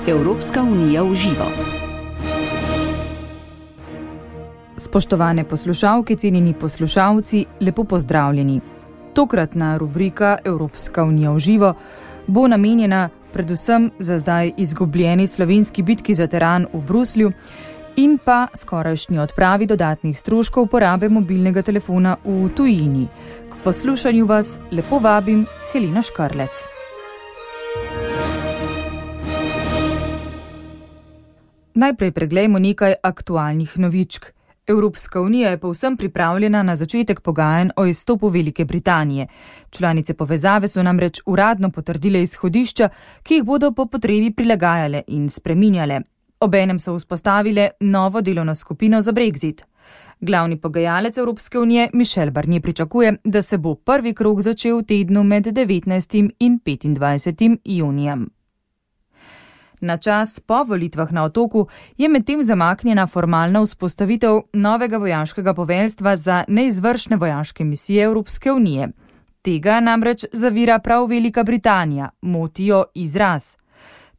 Evropska unija v živo. Spoštovane poslušalke, cenjeni poslušalci, lepo pozdravljeni. Tokratna rubrika Evropska unija v živo bo namenjena predvsem za zdaj izgubljeni slovenski bitki za teran v Bruslju in pa skorajšnji odpravi dodatnih stroškov uporabe mobilnega telefona v tujini. K poslušanju vas lepo vabim Helena Škarlec. Najprej preglejmo nekaj aktualnih novičk. Evropska unija je povsem pripravljena na začetek pogajanj o izstopu Velike Britanije. Članice povezave so namreč uradno potrdile izhodišča, ki jih bodo po potrebi prilagajale in spreminjale. Obenem so vzpostavile novo delovno skupino za Brexit. Glavni pogajalec Evropske unije Michel Barnier pričakuje, da se bo prvi krog začel v tednu med 19. in 25. junijem. Na čas po volitvah na Otoku je medtem zamaknjena formalna vzpostavitev novega vojaškega poveljstva za neizvršne vojaške misije Evropske unije. Tega namreč zavira prav Velika Britanija, motijo izraz.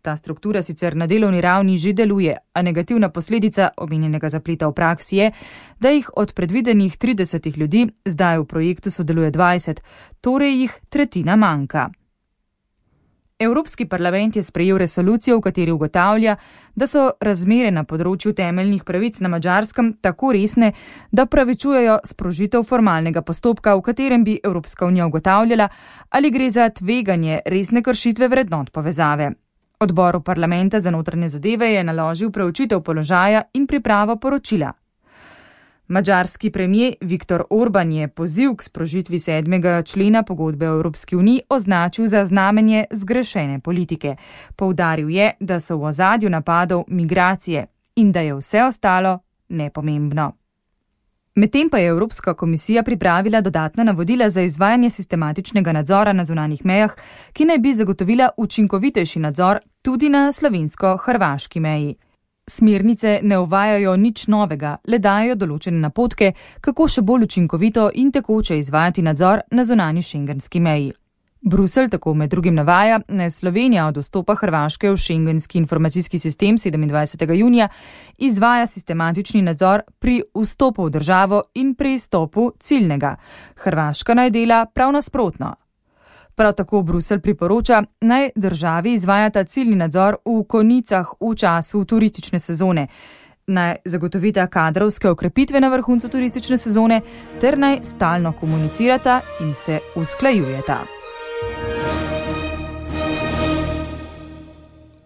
Ta struktura sicer na delovni ravni že deluje, a negativna posledica omenjenega zapleta v praksi je, da jih od predvidenih 30 ljudi zdaj v projektu sodeluje 20, torej jih tretjina manjka. Evropski parlament je sprejel resolucijo, v kateri ugotavlja, da so razmere na področju temeljnih pravic na Madžarskem tako resne, da pravičujejo sprožitev formalnega postopka, v katerem bi Evropska unija ugotavljala, ali gre za tveganje resne kršitve vrednot povezave. Odboru parlamenta za notranje zadeve je naložil preučitev položaja in pripravo poročila. Madžarski premier Viktor Orban je poziv k sprožitvi 7. člena pogodbe o Evropski uniji označil za znamenje zgrešene politike. Poudaril je, da so v ozadju napadov migracije in da je vse ostalo nepomembno. Medtem pa je Evropska komisija pripravila dodatna navodila za izvajanje sistematičnega nadzora na zunanjih mejah, ki naj bi zagotovila učinkovitejši nadzor tudi na slovensko-hrvaški meji. Smernice ne uvajajo nič novega, le dajo določene napotke, kako še bolj učinkovito in tekoče izvajati nadzor na zunanji šengenski meji. Bruselj tako med drugim navaja, da Slovenija od vstopa Hrvaške v šengenski informacijski sistem 27. junija izvaja sistematični nadzor pri vstopu v državo in pri izstopu ciljnega. Hrvaška naj dela prav nasprotno. Prav tako Bruselj priporoča, naj državi izvajata ciljni nadzor v konicah v času turistične sezone, naj zagotovita kadrovske okrepitve na vrhuncu turistične sezone ter naj stalno komunicirata in se usklajujeta.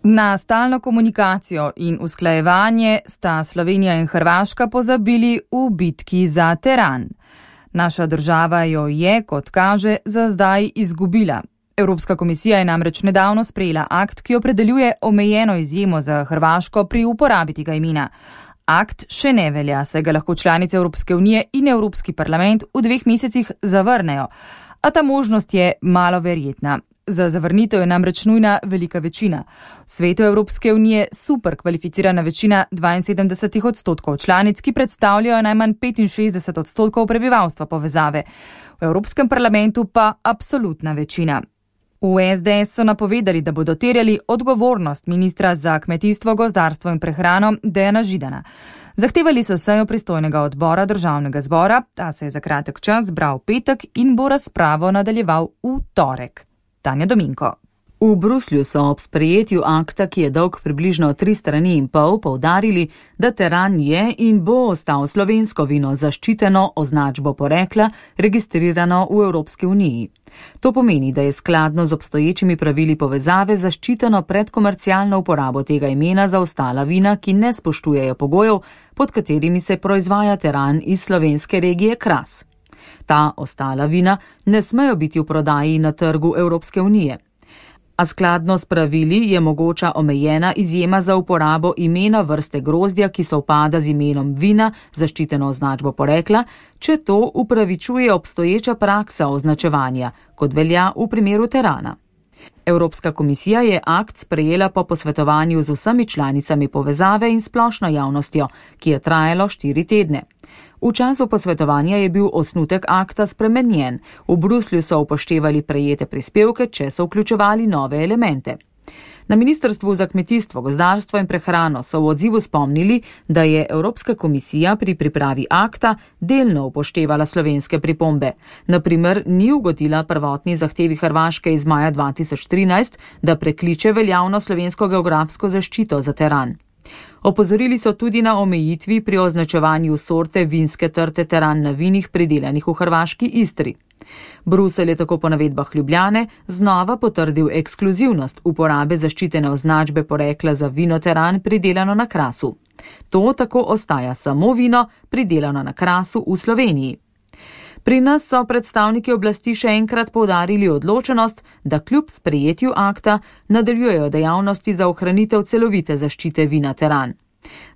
Na stalno komunikacijo in usklajevanje sta Slovenija in Hrvaška pozabili v bitki za teran. Naša država jo je, kot kaže, za zdaj izgubila. Evropska komisija je namreč nedavno sprejela akt, ki opredeljuje omejeno izjemo za Hrvaško pri uporabi tega imena. Akt še ne velja, saj ga lahko članice Evropske unije in Evropski parlament v 2 mesecih zavrnejo, a ta možnost je malo verjetna. Za zavrnitev je namreč nujna velika večina. V svetu Evropske unije super kvalificirana večina 72% članic, ki predstavljajo najmanj 65% prebivalstva povezave. V Evropskem parlamentu pa absolutna večina. V SDS so napovedali, da bodo terjali odgovornost ministra za kmetijstvo, gozdarstvo in prehrano Dejana Židana. Zahtevali so sejo pristojnega odbora državnega zbora, ta se je za kratek čas zbral v petek in bo razpravo nadaljeval v torek. Tanja Dominko. V Bruslju so ob sprejetju akta, ki je dolg približno 3,5 strani, poudarili, da teran je in bo ostal slovensko vino zaščiteno označbo porekla, registrirano v Evropski uniji. To pomeni, da je skladno z obstoječimi pravili povezave zaščiteno pred komercialno uporabo tega imena za ostala vina, ki ne spoštujejo pogojev, pod katerimi se proizvaja teran iz slovenske regije Kras. Ta ostala vina ne smejo biti v prodaji na trgu Evropske unije. A skladno s pravili je mogoča omejena izjema za uporabo imena vrste grozdja, ki sovpada z imenom vina, zaščiteno označbo porekla, če to upravičuje obstoječa praksa označevanja, kot velja v primeru terana. Evropska komisija je akt sprejela po posvetovanju z vsemi članicami povezave in splošno javnostjo, ki je trajalo 4 tedne. V času posvetovanja je bil osnutek akta spremenjen. V Bruslju so upoštevali prejete prispevke, če so vključevali nove elemente. Na Ministrstvu za kmetijstvo, gozdarstvo in prehrano so v odzivu spomnili, da je Evropska komisija pri pripravi akta delno upoštevala slovenske pripombe. Na primer, ni ugodila prvotni zahtevi Hrvaške iz maja 2013, da prekliče veljavno slovensko geografsko zaščito za teran. Opozorili so tudi na omejitvi pri označevanju sorte vinske trte teran na vinih pridelanih v hrvaški Istri. Bruselj je tako po navedbah Ljubljane znova potrdil ekskluzivnost uporabe zaščitene označbe porekla za vino teran pridelano na Krasu. To tako ostaja samo vino pridelano na Krasu v Sloveniji. Pri nas so predstavniki oblasti še enkrat poudarili odločenost, da kljub sprejetju akta nadaljujejo dejavnosti za ohranitev celovite zaščite vina teran.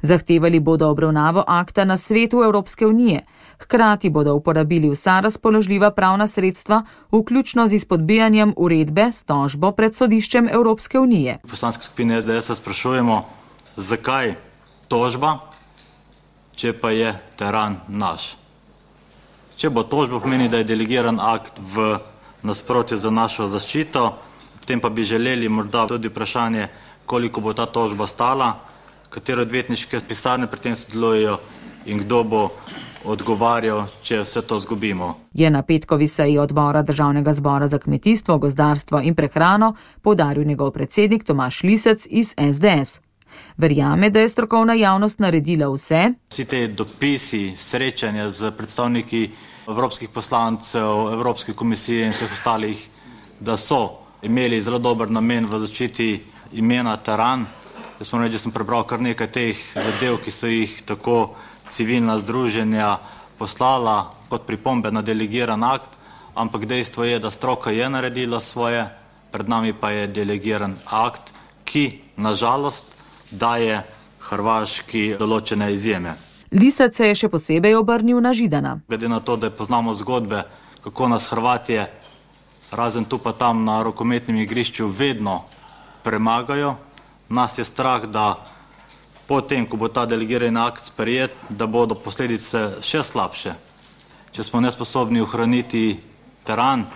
Zahtevali bodo obravnavo akta na Svetu Evropske unije, hkrati bodo uporabili vsa razpoložljiva pravna sredstva, vključno z izpodbijanjem uredbe s tožbo pred sodiščem Evropske unije. V poslanski skupini SDS se sprašujemo, zakaj tožba, če pa je teran naš. Če bo tožba, pomeni, da je delegiran akt v nasprotju za našo zaščito, potem pa bi želeli morda tudi vprašanje, koliko bo ta tožba stala, katere odvetniške pisarne pri tem sodelujejo in kdo bo odgovarjal, če vse to zgubimo. Je na petkovi seji odbora Državnega zbora za kmetijstvo, gozdarstvo in prehrano poudaril njegov predsednik Tomaž Lisec iz SDS. Verjame, da je strokovna javnost naredila vse. Vsi te dopisi, srečanja z predstavniki evropskih poslancev, Evropske komisije in vseh ostalih, da so imeli zelo dober namen v zaščiti imena teran. Jaz moram reči, da sem prebral kar nekaj teh zadev, ki so jih tako civilna združenja poslala kot pripombe na delegiran akt, ampak dejstvo je, da stroka je naredila svoje, pred nami pa je delegiran akt, ki nažalost daje Hrvaški določene izjeme. Lisec se je še posebej obrnil na Židana. Glede na to, da poznamo zgodbe, kako nas Hrvatje, razen tu pa tam na rokometnem igrišču, vedno premagajo, nas je strah, da potem, ko bo ta delegirani akt sprejet, da bodo posledice še slabše. Če smo nesposobni ohraniti teran,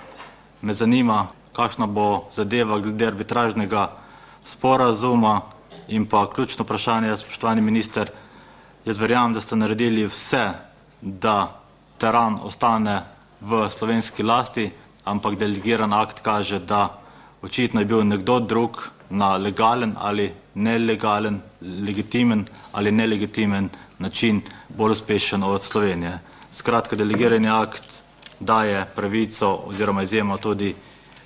me zanima, kakšna bo zadeva glede arbitražnega sporazuma in pa ključno vprašanje, spoštovani minister, jaz verjamem, da ste naredili vse, da teran ostane v slovenski lasti, ampak delegiran akt kaže, da očitno je bil nekdo drug na legalen ali nelegalen, legitimen ali nelegitimen način bolj uspešen od Slovenije. Skratka, delegirani akt daje pravico oziroma izjemo tudi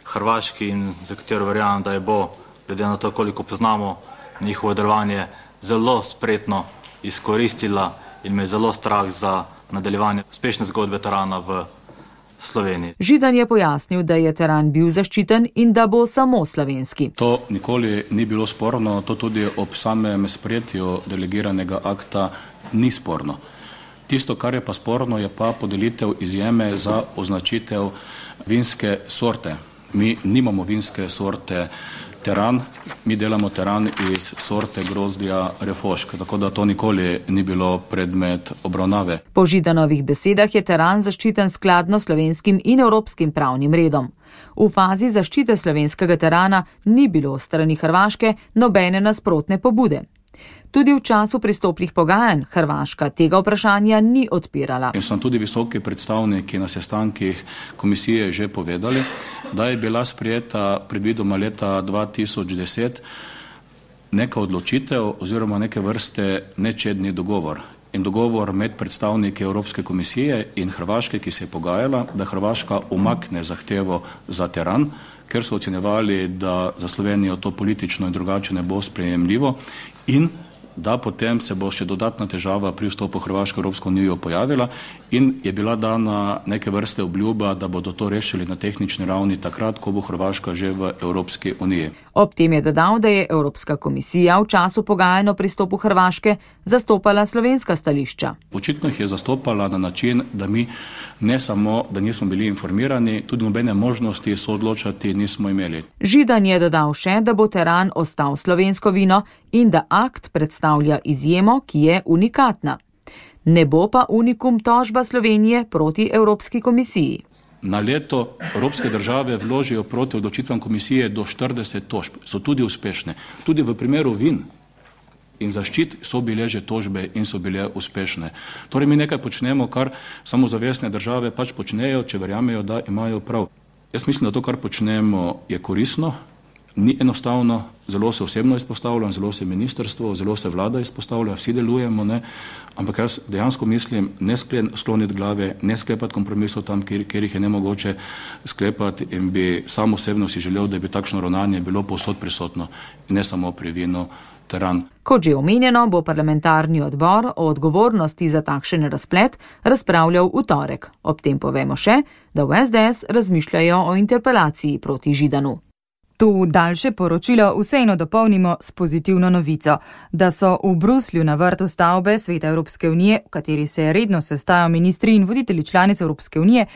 Hrvaški in za katero verjamem, da je bo, glede na to, koliko poznamo njihovo delovanje, zelo spretno izkoristila in me je zelo strah za nadaljevanje uspešne zgodbe terana v Sloveniji. Židan je pojasnil, da je teran bil zaščiten in da bo samo slovenski. To nikoli ni bilo sporno, to tudi ob samem sprejetju delegiranega akta ni sporno. Tisto, kar je pa sporno, je pa podelitev izjeme za označitev vinske sorte. Mi nimamo vinske sorte teran, mi delamo teran iz sorte grozdja refošk, tako da to nikoli ni bilo predmet obravnave. Po Židanovih besedah je teran zaščiten skladno slovenskim in evropskim pravnim redom. V fazi zaščite slovenskega terana ni bilo strani Hrvaške nobene nasprotne pobude. Tudi v času pristopnih pogajanj Hrvaška tega vprašanja ni odpirala. In so tudi visoki predstavniki na sestankih komisije že povedali, da je bila sprejeta predvidoma leta 2010 neka odločitev oziroma neke vrste nečedni dogovor. In dogovor med predstavniki Evropske komisije in Hrvaške, ki se je pogajala, da Hrvaška umakne zahtevo za teran, ker so ocenjevali, da za Slovenijo to politično in drugače ne bo sprejemljivo in da potem se bo še dodatna težava pri vstopu Hrvaške v Evropsko unijo pojavila in je bila dana neke vrste obljuba, da bodo to rešili na tehnični ravni takrat, ko bo Hrvaška že v Evropski uniji. Ob tem je dodal, da je Evropska komisija v času pogajanj o pristopu Hrvaške zastopala slovenska stališča. Očitno jih je zastopala na način, da mi ne samo, da nismo bili informirani, tudi nobene možnosti soodločati nismo imeli. Židan je dodal še, da bo teran ostal slovensko vino in da akt predstavlja izjemo, ki je unikatna. Ne bo pa unikum tožba Slovenije proti Evropski komisiji. Na leto evropske države vložijo proti odločitvam komisije do 40 tožb. So tudi uspešne. Tudi v primeru vin in zaščit so bile že tožbe in so bile uspešne. Torej mi nekaj počnemo, kar samozavestne države pač počnejo, če verjamejo, da imajo prav. Jaz mislim, da to, kar počnemo, je koristno, ni enostavno, zelo se osebno izpostavljam, zelo se ministrstvo, zelo se vlada izpostavlja, vsi delujemo, ne? Ampak jaz dejansko mislim, ne skloniti glave, ne sklepati kompromisov tam, kjer jih je nemogoče sklepati, in bi sam osebno si želel, da bi takšno ravnanje bilo povsod prisotno in ne samo pri vinu teran. Kot že omenjeno, bo parlamentarni odbor o odgovornosti za takšen razplet razpravljal v torek. Ob tem povemo še, da v SDS razmišljajo o interpelaciji proti Židanu. To daljše poročilo vseeno dopolnimo s pozitivno novico, da so v Bruslju na vrtu stavbe Sveta Evropske unije, v kateri se redno sestajajo ministri in voditelji članic Evropske unije,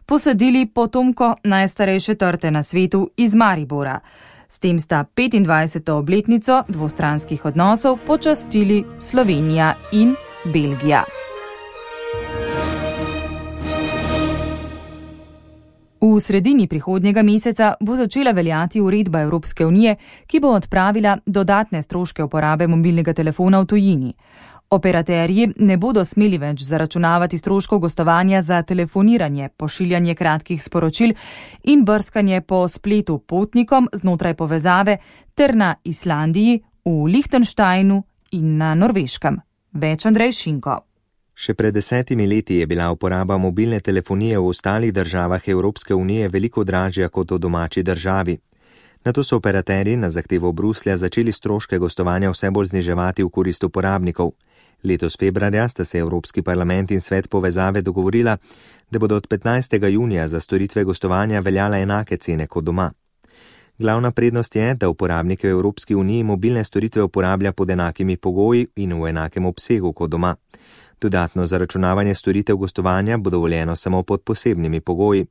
posadili potomko najstarejše trte na svetu iz Maribora. S tem sta 25. obletnico dvostranskih odnosov počastili Slovenija in Belgija. V sredini prihodnjega meseca bo začela veljati uredba Evropske unije, ki bo odpravila dodatne stroške uporabe mobilnega telefona v tujini. Operaterji ne bodo smeli več zaračunavati stroškov gostovanja za telefoniranje, pošiljanje kratkih sporočil in brskanje po spletu potnikom znotraj povezave ter na Islandiji, v Lichtensteinu in na Norveškem. Več Andrej Šinko. Še pred 10 leti je bila uporaba mobilne telefonije v ostalih državah Evropske unije veliko dražja kot v domači državi. Nato so operaterji na zahtevo Bruslja začeli stroške gostovanja vse bolj zniževati v korist uporabnikov. Letos februarja sta se Evropski parlament in Svet povezave dogovorila, da bodo od 15. junija za storitve gostovanja veljale enake cene kot doma. Glavna prednost je, da uporabnike v Evropski uniji mobilne storitve uporablja pod enakimi pogoji in v enakem obsegu kot doma. Dodatno zaračunavanje storitev gostovanja bo dovoljeno samo pod posebnimi pogoji.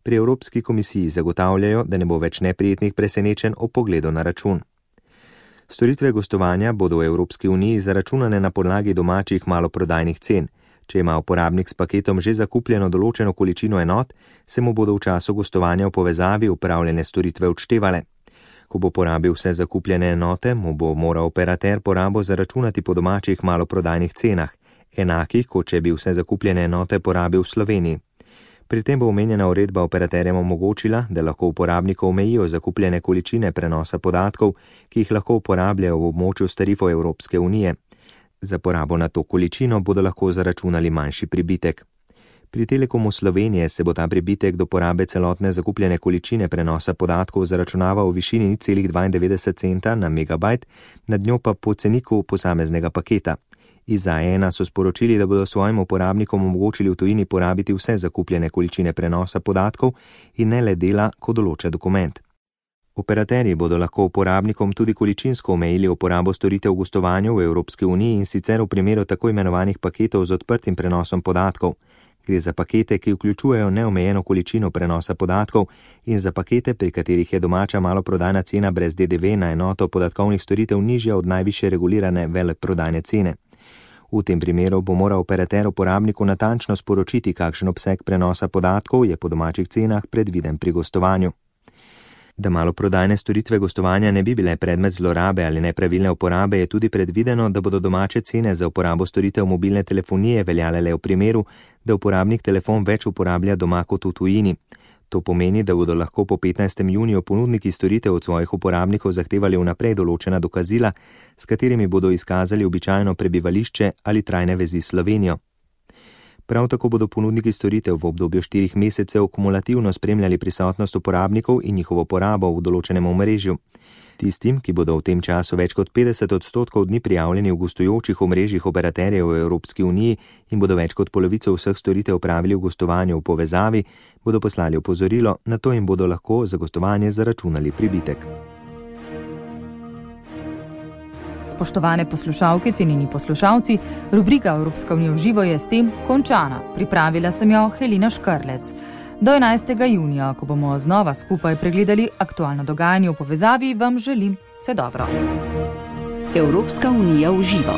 Pri Evropski komisiji zagotavljajo, da ne bo več neprijetnih presenečenj ob pogledu na račun. Storitve gostovanja bodo v Evropski uniji zaračunane na podlagi domačih maloprodajnih cen. Če ima uporabnik s paketom že zakupljeno določeno količino enot, se mu bodo v času gostovanja v povezavi upravljene storitve odštevale. Ko bo porabil vse zakupljene enote, mu bo moral operater porabo zaračunati po domačih maloprodajnih cenah, enakih, kot če bi vse zakupljene enote porabil v Sloveniji. Pri tem bo omenjena uredba operaterjem omogočila, da lahko uporabnikov omejijo zakupljene količine prenosa podatkov, ki jih lahko uporabljajo v območju s tarifo Evropske unije. Za porabo na to količino bodo lahko zaračunali manjši pribitek. Pri Telekomu Slovenije se bo ta pribitek do porabe celotne zakupljene količine prenosa podatkov zaračunaval v višini 0,92 centa na megabajt, nad njo pa po ceniku posameznega paketa. Iz A1 so sporočili, da bodo svojim uporabnikom omogočili v tujini porabiti vse zakupljene količine prenosa podatkov in ne le dela, ko določa dokument. Operaterji bodo lahko uporabnikom tudi količinsko omejili uporabo storitev v gostovanju v Evropski uniji in sicer v primeru tako imenovanih paketov z odprtim prenosom podatkov. Gre za pakete, ki vključujejo neomejeno količino prenosa podatkov in za pakete, pri katerih je domača maloprodajna cena brez DDV na enoto podatkovnih storitev nižja od najvišje regulirane veleprodajne cene. V tem primeru bo moral operater uporabniku natančno sporočiti, kakšen obseg prenosa podatkov je po domačih cenah predviden pri gostovanju. Da maloprodajne storitve gostovanja ne bi bile predmet zlorabe ali nepravilne uporabe, je tudi predvideno, da bodo domače cene za uporabo storitev mobilne telefonije veljale le v primeru, da uporabnik telefon več uporablja doma kot v tujini. To pomeni, da bodo lahko po 15. juniju ponudniki storitev od svojih uporabnikov zahtevali vnaprej določena dokazila, s katerimi bodo izkazali običajno prebivališče ali trajne vezi s Slovenijo. Prav tako bodo ponudniki storitev v obdobju 4 mesecev kumulativno spremljali prisotnost uporabnikov in njihovo porabo v določenem omrežju. Tistim, ki bodo v tem času več kot 50% dni prijavljeni v gostujočih omrežjih operaterjev v Evropski uniji in bodo več kot polovico vseh storitev opravili v gostovanju v povezavi, bodo poslali opozorilo, na to jim bodo lahko za gostovanje zaračunali pribitek. Spoštovane poslušalke, cenjeni poslušalci, rubrika Evropska unija v živo je s tem končana. Pripravila sem jo Helena Škrlec. Do 11. junija, ko bomo znova skupaj pregledali aktualno dogajanje v povezavi, vam želim vse dobro. Evropska unija v živo.